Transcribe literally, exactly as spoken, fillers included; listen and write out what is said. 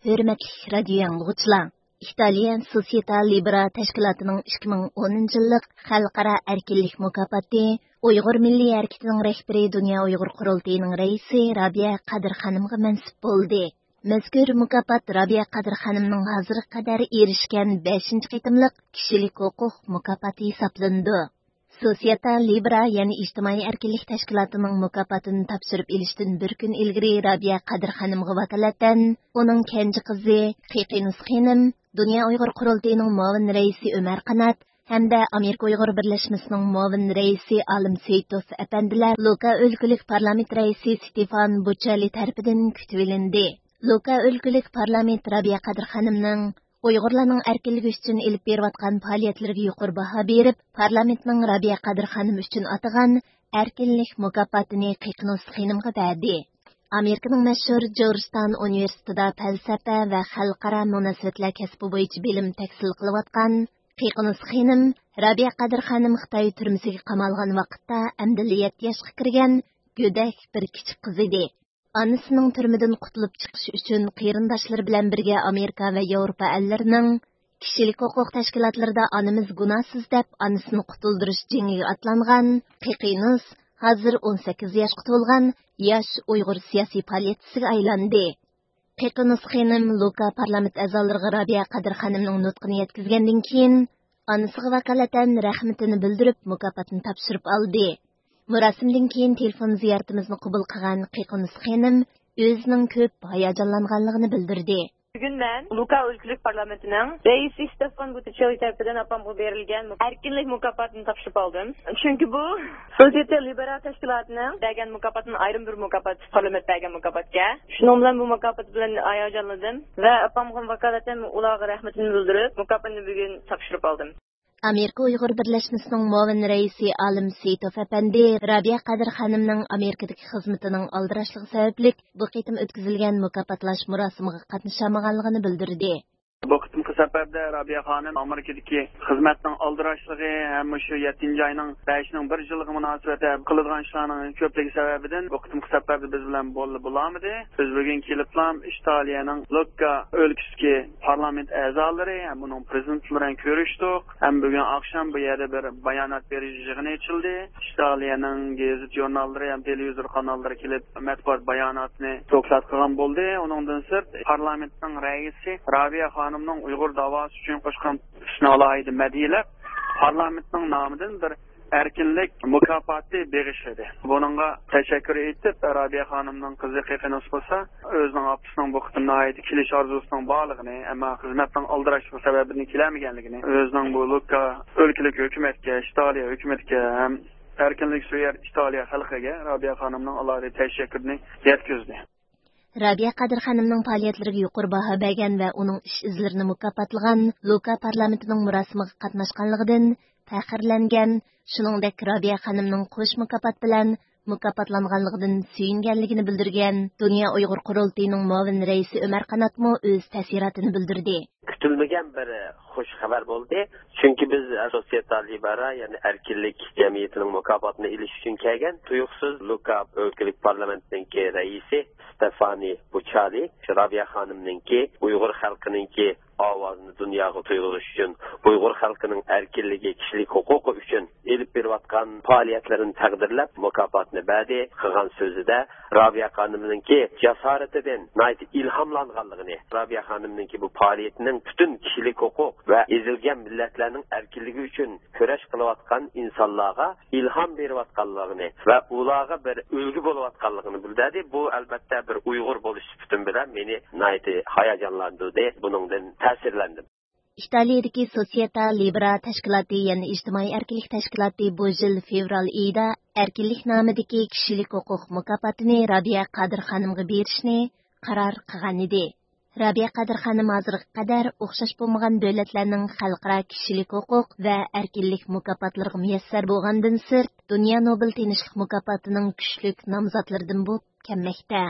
ھۆرمەتلىك رادىيو ئاڭلىغۇچىلار! ئىتالىيە سوسيېتا لىبېرا تەشكىلاتىنىڭ ئىككى مىڭ ئونىنچى يىللىق خەلقئارا ئەركىنلىك مۇكاپاتى ئۇيغۇر مىللىي ھەرىكىتىنىڭ رەھبىرى، دۇنيا ئۇيغۇر قۇرۇلتىيىنىڭ رەئىسى رابىيە قادىر خانىمغا مەنسۇپ بولدى. مەزكۇر مۇكاپات رابىيە قادىر خانىمنىڭ ھازىرغا قەدەر ئېرىشكەن بەشىنچى قېتىملىق كىشىلىك ھوقۇق مۇكاپاتى ھېسابلىنىدۇ. سوسيېتا لىبېرا، يەنى ئىجتىمائىي ئەركىنلىك تەشكىلاتىنىڭ مۇكاپاتىنى تاپشۇرۇپ ئېلىشتىن بىر كۈن ئىلگىرى رابىيە قادىر خانىمغا ۋاكالىتەن ئۇنىڭ كەنجى قىزى قېقىنۇس خېنىم، دۇنيا ئۇيغۇر قۇرۇلتىيىنىڭ مۇئاۋىن رەئىسى ئۆمەر قانات ھەمدە ئامېرىكا ئۇيغۇر بىرلەشمىسىنىڭ مۇئاۋىن رەئىسى ئالىم سېيىتوف ئەپەندىلەر لۇكا ئۆلكىلىك پارلامېنت رەئىسى ستېفان بۇچالى تەرىپىدىن كۈتۈۋېلىندى. لۇكا ئۆلكىلىك پارلامېنت رابىيە قادىر خانىمنىڭ ئۇيغۇرلارنىڭ ئەركىنلىكى ئۈچۈن ئېلىپ بېرىۋاتقان پائالىيەتلىرىگە يۇقىرى باھا بېرىپ، پارلامېنتنىڭ رابىيە قادىر خانىم ئۈچۈن ئاتىغان ئەركىنلىك مۇكاپاتىنى قېقىنۇس خېنىمغا بەردى. ئامېرىكىنىڭ مەشھۇر جورجتاون ئۇنىۋېرسىتېتىدا پەلسەپە ۋە خەلقئارا مۇناسىۋەتلەر كەسپى بويىچە بىلىم تەھسىل قىلىۋاتقان قېقىنۇس خېنىم رابىيە قادىر خانىم خىتاي تۈرمىسىگە قامالغان ۋاقىتتا ئەمدىلا يەتتە ياشقا كىرگەن گۆدەك بىر كىچىك قىز ئىدى. ئانىسىنىڭ تۈرمىدىن قۇتۇلۇپ چىقىشى ئۈچۈن قېرىنداشلىرى بىلەن بىرگە ئامېرىكا ۋە ياۋروپا ئەللىرىنىڭ كىشىلىك ھوقۇق تەشكىلاتلىرىدا ئانىمىز گۇناھسىز دەپ ئانىسىنى قۇتۇلدۇرۇش جېڭىگە ئاتلانغان قېقىنۇس ھازىر ئون سەككىز ياشقا تولغان ياش ئۇيغۇر سىياسىي پائالىيەتچىسىگە ئايلاندى. قېقىنۇس خېنىم لۇكا پارلامېنت ئەزالىرىغا رابىيە قادىر خانىمنىڭ نۇتقىنى يەتكۈزگەندىن كېيىن، ئانىسىغا ۋاكالىتەن رەھمىتىنى بىلدۈرۈپ، مۇكاپاتنى تاپشۇرۇپ ئالدى. مۇراسىمدىن كېيىن تېلېفون زىيارىتىمىزنى قوبۇل قىلغان قېقىنۇس خېنىم ئۆزىنىڭ كۆپ ھاياجانلانغانلىقىنى بىلدۈردى. بۈگۈن مەن لۇكا ئۆلكىلىك پارلامېنتىنىڭ رەئىسى ستېفان بۇتىچېللى تەرىپىدىن ئاپامغا بېرىلگەن ئەركىنلىك مۇكاپاتىنى تاپشۇرۇپ ئالدىم. چۈنكى بۇ سوسيېتا لىبېرا تەشكىلاتىنىڭ بەرگەن مۇكاپاتىدىن ئايرىم بىر مۇكاپات، پارلامېنت بەرگەن مۇكاپاتكەن. شۇنىڭ بىلەن بۇ مۇكاپات بىلەن ھاياجانلىدىم ۋە ئاپامغا ۋاكالىتەن ئۇلارغا رەھمىتىمنى بىلدۈرۈپ، مۇكاپاتنى بۈگۈن تاپشۇرۇپ ئالدىم. ئامېرىكا ئۇيغۇر بىرلەشمىسىنىڭ مۇئاۋىن رەئىسى ئالىم سېيىتوف ئەپەندى رابىيە قادىر خانىمنىڭ ئامېرىكىدىكى خىزمىتىنىڭ ئالدىراشلىقى سەۋەبلىك بۇ قېتىم ئۆتكۈزۈلگەن مۇكاپاتلاش مۇراسىمىغا قاتنىشالمىغانلىقىنى بىلدۈردى. بۇ قېتىمقى سەپەردە رابىيە خانىم ئامېرىكىدىكى خىزمەتنىڭ ئالدىراشلىقى ھەم مۇشۇ يەتتىنچى ئاينىڭ بەشىنىڭ بىر يىللىقى مۇناسىۋەتتە قىلىدىغان ئىشلارنىڭ كۆپلۈكى سەۋەبىدىن بۇ قېتىمقى سەپەردە بىز بىلەن بول-، بولالمىدى. بىز بۈگۈن كېلىپلا ئىتالىيەنىڭ لوككا ئۆلكىسىدىكى پارلامېنت ئەزالىرى ھەم ئۇنىڭ پىرېزىدېنتلىرى بىلەن كۆرۈشتۇق. ھەم بۈگۈن ئاخشام بۇ يەردە بىر بايانات بېرىش يىغىنى ئېچىلدى. ئىتالىيەنىڭ گېزىت ژۇرناللىرى ھەم تېلېۋىزور قاناللىرى كېلىپ مەتبۇئات باياناتىنى دوكلات قىلغان بولدى. ئۇنىڭدىن سىرت، پارلامېنتنىڭ رەئىسى رابىيە خانىمنىڭ ئۇيغۇر داۋاسى ئۈچۈن قوشقان تۆھپىسىنى ئالاھىدە مەدھىيەلەپ، پارلامېنتنىڭ نامىدىن بىر ئەركىنلىك مۇكاپاتى بېغىشلىدى. بۇنىڭغا تەشەككۈر ئېيتىپ، رابىيە خانىمنىڭ قىزى قېقىنۇس بولسا ئۆزىنىڭ ئاپىسىنىڭ بۇ قېتىم ناھايىتى كېلىش ئارزۇسىنىڭ بارلىقىنى، ئەمما خىزمەتنىڭ ئالدىراشلىقى سەۋەبىدىن كېلەلمىگەنلىكىنى، ئۆزىنىڭ بۇ لۇككا ئۆلكىلىك ھۆكۈمەتكە، ئىتالىيە ھۆكۈمىتىگە ھەم ئەركىنلىك سۆيەر ئىتالىيە خەلقىگە رابىيە خانىمنىڭ ئالاھىدە تەشەككۈرىنى يەتكۈزدى. رابىيە قادىر خانىمنىڭ پائالىيەتلىرىگە يۇقىرى باھا بەرگەن ۋە ئۇنىڭ ئىش ئىزلىرىنى مۇكاپاتلىغان لۇكا پارلامېنتىنىڭ مۇراسىمىغا قاتناشقانلىقىدىن پەخىرلەنگەن، شۇنىڭدەك رابىيە خانىمنىڭ قوش مۇكاپات بىلەن مۇكاپاتلانغانلىقىدىن سۆيۈنگەنلىكىنى بىلدۈرگەن دۇنيا ئۇيغۇر قۇرۇلتىيىنىڭ مۇئاۋىن رەئىسى ئۆمەر قاناتمۇ ئۆز تەسىراتىنى بىلدۈردى. كۈتۈلمىگەن بىر خۇش خەۋەر بولدى. چۈنكى بىز سوسيېتا لىبېرا، يەنى ئەركىنلىك جەمئىيىتىنىڭ مۇكاپاتىنى ئېلىش ئۈچۈن كەلگەن تۇيۇقسىز لۇكا ئۆلكىلىك پارلامېنتنىڭكى رەئىسى ستېفانى بۇچالى رابىيە خانىمنىڭكى ئۇيغۇر خەلقىنىڭكى ئاۋازىنى دۇنياغا تۇيغۇزۇش ئۈچۈن، ئۇيغۇر خەلقىنىڭ ئەركىنلىكى، كىشىلىك ھوقۇقى ئۈچۈن ئېلىپ بېرىۋاتقان پائالىيەتلىرىنى تەقدىرلەپ مۇكاپاتنى بەردى. قىلغان سۆزىدە رابىيە خانىمنىڭكى جاسارىتىدىن ناھايىتى ئىلھاملانغانلىقىنى، رابىيە خانىمنىڭكى بۇ پائالىيىتىنىڭ پۈتۈن كىشىلىك ھوقۇق ۋە ئېزىلگەن مىللەتلەرنىڭ ئەركىنلىكى ئۈچۈن كۈرەش قىلىۋاتقان ئىنسانلارغا ئىلھام بېرىۋاتقانلىقىنى ۋە ئۇلارغا بىر ئۈلگە بولۇۋاتقانلىقىنى بىلدۈردى. بۇ، ئەلبەتتە، بىر ئۇيغۇر بولۇش سۈپىتىم بىلەن مېنى ناھايىتى ھاياجانلاندۇردى. بۇنىڭدىن تەسىرلەندىم. ئىتالىيىدىكى سوسيېتا لىبېرا تەشكىلاتى، يەنى ئىجتىمائىي ئەركىنلىك تەشكىلاتى بۇ يىل فېۋرال ئېيىدا ئەركىنلىك نامىدىكى كىشىلىك ھوقۇق مۇكاپاتىنى رابىيە قادىر خانىمغا بېرىشنى قارار قىلغانىدى. رابىيە قادىر خانىم ھازىرغا قەدەر ئوخشاش بولمىغان دۆلەتلەرنىڭ خەلقئارا كىشىلىك ھوقۇق ۋە ئەركىنلىك مۇكاپاتلىرىغا مۇيەسسەر بولغاندىن سىرت، دۇنيا نوبېل تىنچلىق مۇكاپاتىنىڭ كۈچلۈك نامزاتلىرىدىن بولۇپ كەلمەكتە.